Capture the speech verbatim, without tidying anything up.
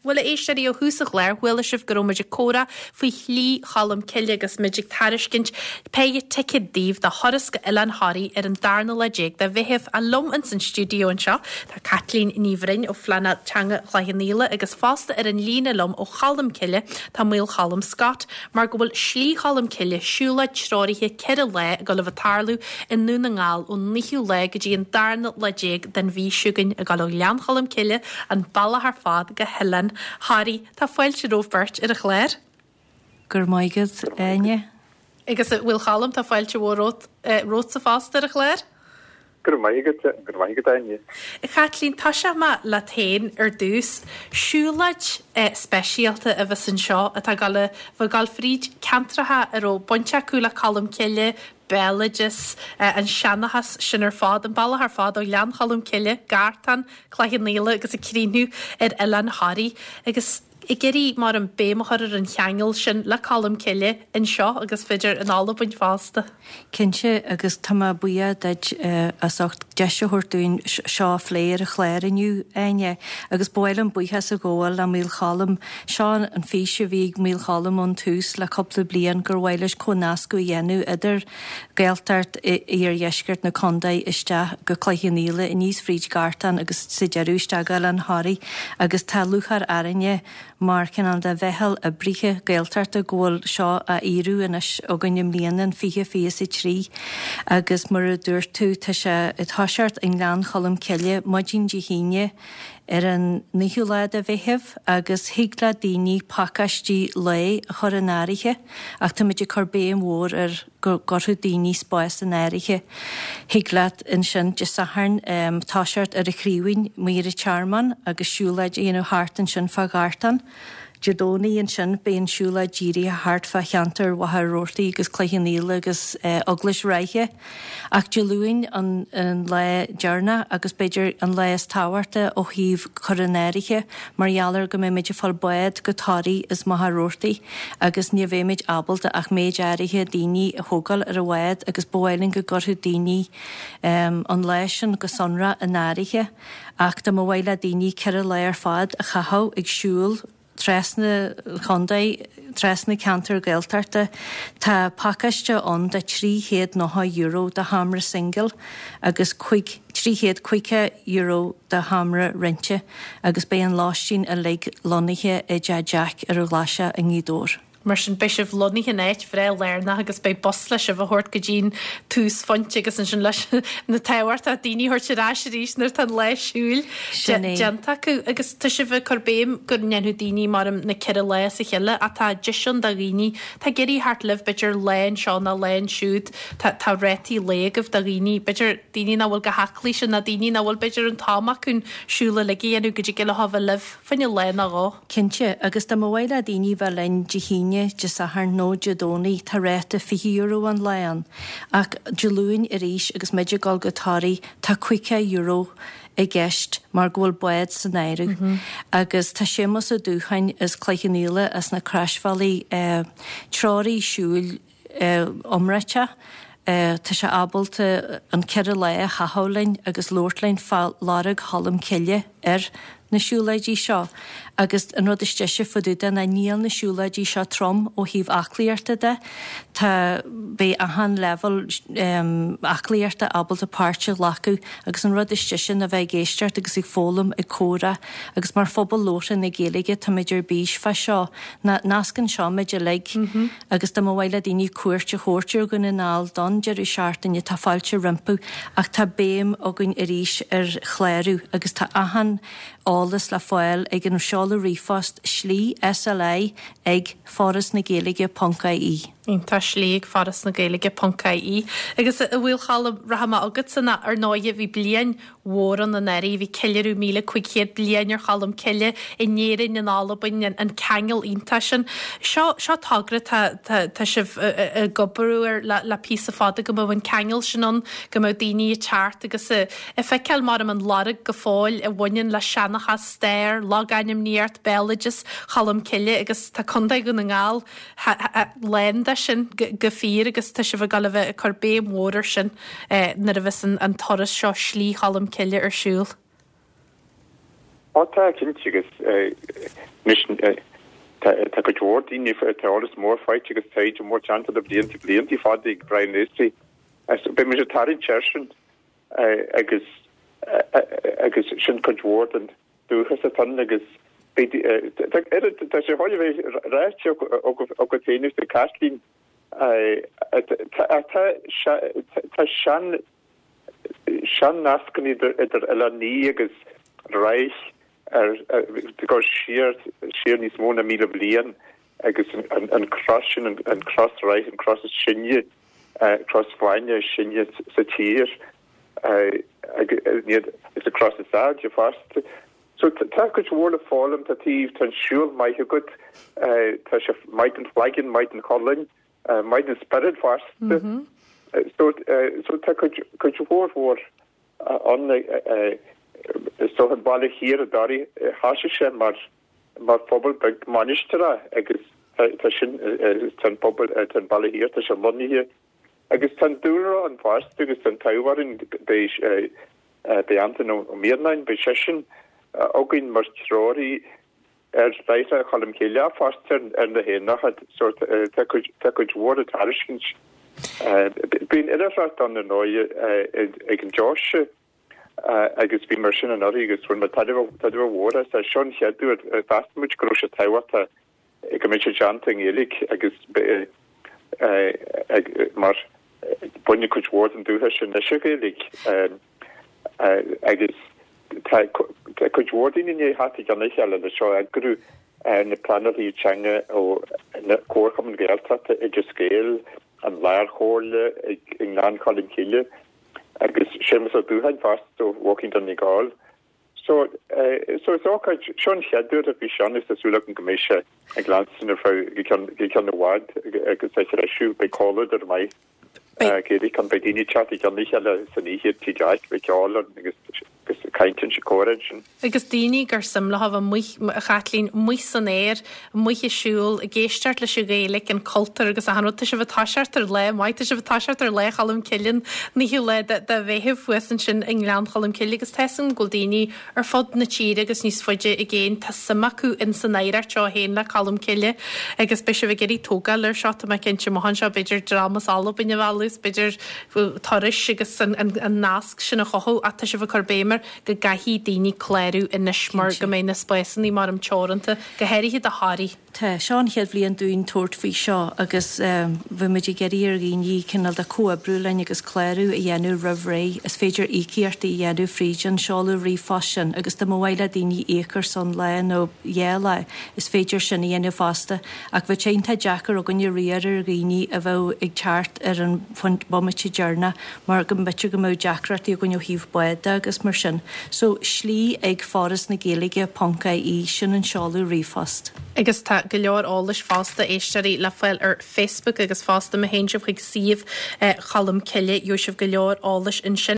Bhuel, a éisteoirí, ó thús an chláir, chuala sibh go raibh muid ag comhrá faoi Shlí Cholm Cille agus muid ag tairiscint péire ticéad daoibh do thuras go Oileán Thoraí ar an darna lá déag de Mheitheamh. A liom ins an stiúideo anseo tá Caitlín Ní Bhroin ó Phleanáil Teanga Chloich Cheann Fhaola agus fosta ar an líne liom ó Cholm Cille tá Maolcholm Scott mar go bhfuil Slí Cholm Cille siúlóid treoraithe ceithre lá ag dul a bheith ag tarlú i nDún na nGall ón naoú lá go dtí an darna lá déag den mhí seo chugainn ag dul ó Ghleann Cholm Cille an bealach ar fad go hOileán Thoraí. Tá fáilte romhaibh beirt ar an chlár. Go raibh maith agat, Áine. Agus a Mhaolchoilm, tá fáilte mhór romhat, romhatsa fosta ar an chlár. Go raibh maith agat, go raibh maith agat, Áine. A Chaitlín, tosóidh mé leat féin ar dtús. Siúlóid speisialta a bheas anseo atá ag dul a bheith ag dul fríd ceantracha a raibh baint acu le Colm Cille, béaloideas, an seanchas sin ar fad, an bealach ar fad ó Ghleann Cholm Cille, Gartán, Cloich Cheann Fhaola agus ag críochnú ar Oileán Thoraí. Agus ag iarraidh mar an béim a chur ar an cheangal sin le Colm Cille anseo agus b'fhéidir in Albain fosta. Cinnte, agus tá mé buíoch duit as ucht deis a thabhairt dúinn seo a phlé ar an chlár inniu, Áine, agus ba mhaith liom buíochas a ghabháil le Maolcholm. Seo an fís a bhí ag Maolcholm ón tús le cúpla bliain gur mhaith leis comhnascadh a dhéanamh idir Gaeltacht iardheisceart na contae isteach go Cloich Cheann Fhaola, aníos fríd Gartán agus sa deireadh isteach go Oileán Thoraí agus tá lúcháir orainne mar chineál de mheitheal oibrithe Gaeltachta go bhfuil seo á fhíorú anois againn i mbliana, in fiche fiche is a trí, agus mar a dúirt tú, tá sé ag toiseacht i nGleann Cholm Cille maidin Dé hAoine ar an naoú lá de Mheitheamh agus thig le daoine pacáistí lae a chur in áirithe ach táimid ag cur béim mhór ar go gcuirfeadh daoine spás in áirithe. Thig leat ansin Dé Sathairn toiseacht ar an Chraoibhín amuigh ar an Tearmann agus siúlóid a dhéanamh thart ansin fá Ghartán. Dé Domhnaigh ansin beidh an siúlóid dírithe thart fá cheantar Mhachaire Rabhartaigh agus Cloich Cheann Fhaola agus Eaglais Ráithe. Ach Dé Luain an lá deireanach agus b'fhéidir an lá is tábhachta ó thaobh cur in áirithe mar gheall ar go mbeimid ag fáil bád go Toraigh as Machaire Rabhartaigh agus ní bheimid ábalta ach méid áirithe daoine a thógáil ar an bhád agus ba mhaith linn go gcuirfeadh daoine an lá sin go sonrach in áirithe ach dá mba mhaith le daoine ceithre lá ar fad a chaitheamh ag siúl trasna an chontae, trasna ceantar Gaeltachta. Tá pacáiste ann de trí chéad nócha euro do sheomra singil agus cúig, trí chéad caoga euro do sheomra roinnte agus beidh an lóistín uilig lonnaithe i dTeach Jack ar an Ghlaiseach i nGaoth Dobhair. Mar sin, beidh sibh lonnaithe in áit bhreá lárnach agus beidh bus le sibh a thabhairt go dtí'n túsphointe agus ansin leis na tábhachtach daoine a thabhairt ar ais arís nuair atá an lá siúil déanta acu. Agus tá sibh ag cur béim go ndéanfadh daoine mar na ceithre lá as a chéile ach tá deis ann do dhaoine atá ag iarraidh theacht libh b'fhéidir lá anseo nó lá ansiúd tá tá rátaí lae agaibh do dhaoine b'fhéidir daoine nach bhfuil chomh haclaí sin nó daoine nach bhfuil b'fhéidir an t-am acu an siúl uilig a dhéanamh go dtig leo a bheith libh fá choinne lá nó dhó. Cinnte, agus dá mba mhaith le daoine bheith linn Dé hAoine, Dé Sathairn nó Dé Domhnaigh, tá ráta fiche euro an lá ann. Ach Dé Luain arís agus muid ag dul go Toraigh, tá caoga euro i gceist mar go bhfuil bád san áireamh. Agus tá Séamus Ó Dúcháin as Cloich Cheann Fhaola as na Croisbhealaí, treoraí siúil iomráiteach, Tá sé ábalta an ceithre lá a chaitheamh linn agus labhairt linn fá lorg Cholm Cille ar na siúlóidí seo agus an rud is deise fá dtaobh de ná níl na siúlóidí seo trom ó thaobh aclaíochta de. Tá, beidh achan leibhéal aclaíochta ábalta páirt a ghlacadh agus an rud is deise ná bheith ag éisteacht agus ag foghlaim, ag comhrá agus mar phobal labhartha na Gaeilge táimid ar bís fá seo. Nascann seo muid uilig. Agus dá mba mhaith le daoine cuairt a thabhairt ar Dhún na nGall don deireadh seachtaine, tá fáilte rompu, ach tá béim againn arís ar chlárú agus tá achan eolas le fáil ag an seoladh ríomhphost slí, S L I, ag foras na gaeilge ponc I E. Iontach, slí ag foras na gaeilge ponc I E. Agus a Mhaolchoilm, rachaidh mé chugatsa ná ar ndóighe bhí bliain mhór ann anuraidh. Bhí ceiliúradh míle cúig chéad bliain ar Cholm Cille in Éirinn, in Albain, an ceangal iontach sin. Seo, seo togra tá, tá, tá sibh ag obair air le, le píosa fada go mbeadh an ceangal sin ann, go mbeadh daoine ag teacht agus ag feiceáil mar an lorg go fóill a bhaineann le seanchas, stair, logainmníocht, béaloideas Cholm Cille agus tá Contae Dhún na nGall lán de sin go fíor agus tá sibh ag dul a bheith ag cur béim mhór air sin nuair a bheas an turas seo Slí Cholm Cille ar siúl. Ó tá cinnte agus tá cuid mhór daoine tá eolas mór faighte agus taighde mór déanta le blianta blianta fada ag Brian Lacey. Beidh muid ag tarraingt air sin agus agus sin cuid mhór den dúchas atá ann agus tá sé chóir a bheith ráite agat féin is ag Caitlín tá sean sean nascanna idir idir Oileán Í agus Ráith ar go siar siar níos mó ná míle bliain agus an an cros sin an cros Ráith an cros is sine cros bhainne is sine sa tír is an cros is airde fosta. So tá cuid mhór le foghlaim tá taobh tá an siúl maith agat tá sé maith don chloigeann maith don cholainn maith don spiorad fosta. So so tá cuid cuid mhór mhór ann so an baile thiar i nDoire thosaigh sé mar mar phobal beag mainistreach agus tá sin tá an pobal tá an baile thiar tá sé lonnaithe agus tá an dúlra ann fosta agus tá an t-ádh orainn beidh beidh Antain Ó Mianáin beidh seisean againn mar threoraí ar Láithreacha Cholm Cille fosta ar na haonacha so tá cuid tá cuid mhór le tairiscint. Bíonn oilithreacht ann ar ndóigh ag an deoise agus bhí mar sin anuraidh agus bhain muid tairbhe tairbhe mhór as. Seo an chéad uair mheas muid go raibh sé tábhachtach go mbeadh sé déanta i nGaeilge agus mar baineann cuid mhór den dúchas sin leis an Ghaeilge agus tá cuid mhór daoine i ndiaidh theacht i gcionn a chéile le seo a eagrú, na pleanálaithe teanga ó na Comharchumainn Gaeltachta, Oideas Gael, an Lárchomhairle i nGleann Cholm Cille agus Séamus Ó Dúcháin fosta ó Walking Donegal. So so is ócáid, seo an chéad uair a bhí sé ann agus tá súil agam go mbeidh sé ag leanstan ar feadh go ceann go ceann i bhfad agus á threisiú, beidh comhluadar maith Gaeilge ann, beidh daoine ag teacht i gcionn a chéile san oíche tigh Jeaic, beidh ceol ann agus agus caint ansin, comhrá ansin. Agus daoine gur suim leo a bheith amuigh, a Chaitlín, amuigh san aer, amuigh ag siúl, ag éisteacht leis an Ghaeilge, an cultúr agus achan rud. Tá sibh ag toiseacht ar lá maith, tá sibh ag toiseacht ar Lá Cholm Cille, an naoú lá de de Mheitheamh thuas ansin i nGleann Cholm Cille agus tá 'fhios agam go bhfuil daoine ar fud na tíre agus níos faide i gcéin, tá suim acu in san oidhreacht seo a théann le Colm Cille agus beidh sibh ag iarraidh tógáil air seo, tá mé cinnte amach anseo, b'fhéidir dream as Albain a mhealladh is b'fhéidir turais agus an an an nasc sin a chothú ach tá sibh ag cur béim air go gcaithfidh daoine clárú anois mar go mbeidh na spásanna mar teoranta, go háirithe do Thoraí. Tá, seo an chéad bhliain dúinn tabhairt faoi seo agus bhí muid ag iarraidh ar dhaoine cineál de comhoibriú linn agus clárú a dhéanamh roimh ré. Is féidir íocaíochtaí a dhéanamh fríd an seoladh ríomhphost sin agus dá mba mhaith le daoine íoc ar son lá nó dhá lá, is féidir sin a dhéanamh fosta. Ach bheadh sé iontach deacair againne riar ar dhaoine a bheadh ag teacht ar an bomaite deireanach mar go mb'fhéidir go mbeadh deacrachtaí againn ó thaobh bád de agus mar sin. So, slí ag Foras na Gaeilge ponc IE, sin an seoladh ríomhphost. Agus tá go leor eolais fosta, a éisteoirí, le fáil ar Facebook agus fosta má théann sibh chuig suíomh Cholm Cille, gheobhaidh sibh go leor eolais ansin.